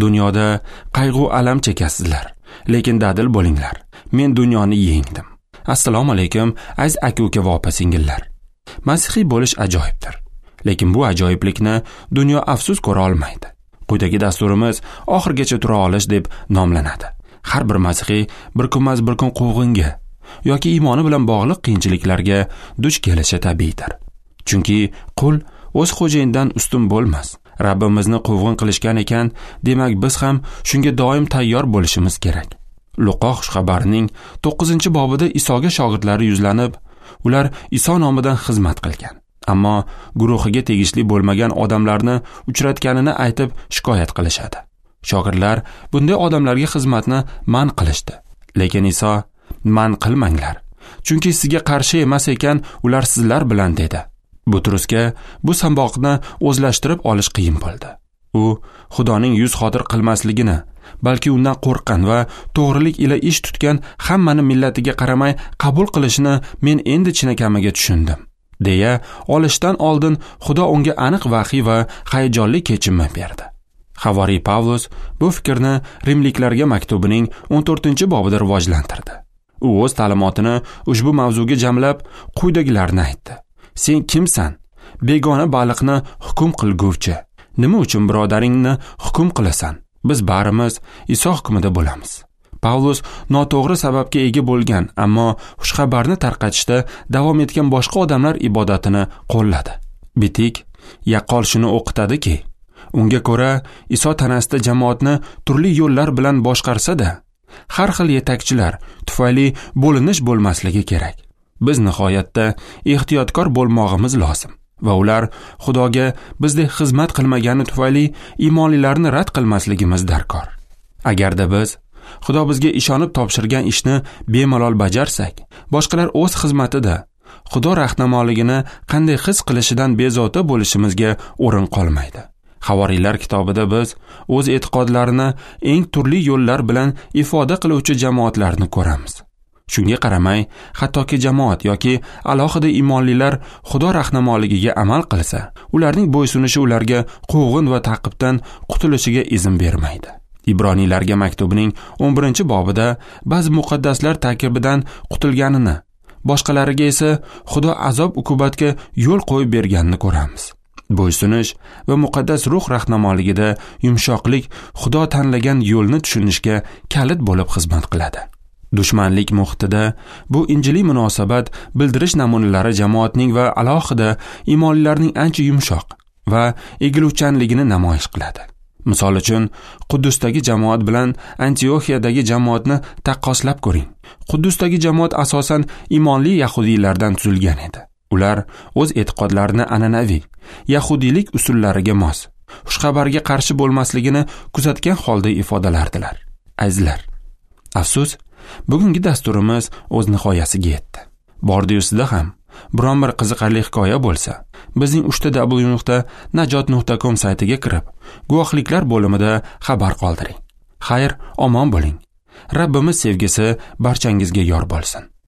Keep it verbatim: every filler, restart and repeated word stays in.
Dunyoda qayg'u alam chekasizlar, lekin dadil bo'linglar. Men dunyoni yengdim. Assalomu alaykum, aziz aka-uka va opa-singillar. Masihiy bo'lish ajoyibdir. Lekin bu ajoyiblikni dunyo afsus ko'ra olmaydi. Quyidagi dasturimiz oxirgacha tura olish deb nomlanadi. Har bir masihiy bir kunmas bir kun quvg'inga yoki iymoni bilan bog'liq qiyinchiliklarga duch kelishi tabiiydir. Chunki qul o'z xo'jayinidan ustun bo'lmas. Rabbimizni quvg'in qilishgan ekan, demak biz ham shunga doim tayyor bo'lishimiz kerak. Luqo xushxabarining to'qqizinchi bobida Isoga shogirdlari yuzlanib, ular Iso nomidan xizmat qilgan, ammo guruhiga tegishli bo'lmagan odamlarni uchratganini aytib shikoyat qilishadi. Shogirdlar bunday odamlarga xizmatni man qilishdi. Lekin Iso, man qilmanglar, chunki sizga qarshi emas ekan, ular sizlar bilan dedi. Butrusga bu samboqni o'zlashtirib olish qiyin bo'ldi. U Xudoning yuz xotir qilmasligini, balki undan qo'rqqan va to'g'rilik ila ish tutgan hammani millatiga qaramay qabul qilishini men endi chinakamiga tushundim, deya olishdan oldin Xudo unga aniq vahiy va hayajonli kechinma berdi. Havoriy Pavlus bu fikrni Rimliklarga maktubining o'n to'rtinchi bobida rivojlantirdi. U o'z ta'limotini ushbu mavzuga jamlab quyidagilarni aytdi. Sen kimsan? Begona baliqni hukm qilguvchi. Nima uchun birodaringni hukm qilasan? Biz barimiz Iso hukmida bo'lamiz. Pavlus noto'g'ri sababga ega bo'lgan, ammo xushxabarni tarqatishda davom etgan boshqa odamlar ibodatini qo'lladi. Bitik yaqqol shuni o'qitadiki, unga ko'ra Iso tanasida jamoatni turli yo'llar bilan boshqarsa-da, har xil yetakchilar tufayli bo'linish bo'lmasligi kerak. Biz nihoyatda ehtiyotkor bo'lmog'imiz lozim va ular Xudoga bizdek xizmat qilmagani tufayli iymonlilarni rad qilmasligimiz darkor. Agarda biz Xudo bizga ishonib topshirgan ishni bemalol bajarsak, boshqalar o'z xizmatida Xudo rahnamoligini qanday his qilishidan bezovta bo'lishimizga o'rin qolmaydi. Havoriylar kitobida biz o'z e'tiqodlarini eng turli yo'llar bilan ifoda qiluvchi jamoatlarni ko'ramiz. Shunga qaramay, hattoki jamoat yoki alohida iymonlilar Xudo rahnamolig'iga amal qilsa, ularning bo'ysunishi ularga quvg'in va ta'qibdan qutulishiga izn bermaydi. Ibroniylarga maktubining o'n birinchi bobida ba'zi muqaddaslar ta'qibidan qutulganini, boshqalariga esa Xudo azob uqubatga yo'l qo'yib berganini ko'ramiz. Bo'ysunish va muqaddas ruh rahnamoligida yumshoqlik Xudo tanlagan yo'lni tushunishga kalit bo'lib xizmat qiladi. Dushmanlik muhitida bu injiliy munosabat bildirish namunalari jamoatning va alohida iymonlilarning ancha yumshoq va egiluvchanligini namoyish qiladi. Misol uchun, Quddusdagi jamoat bilan Antioxiyadagi jamoatni taqqoslab ko'ring. Quddusdagi jamoat asosan iymonli yahudiylardan tuzilgan edi. Ular o'z e'tiqodlarini an'anaviy yahudiylik usullariga mos, xushxabarga qarshi bo'lmasligini kuzatgan holda ifodalardilar. Azizlar, afsus, bugungi dasturimiz o'z nihoyasiga yetdi. Bordi-yusida ham biron bir qiziqarli hikoya bo'lsa, bizning uchta w nuqta najot nuqta com saytiga kirib, guvohliklar bo'limida xabar qoldiring. Xayr, omon bo'ling. Rabbimiz sevgisi barchangizga yor bo'lsin.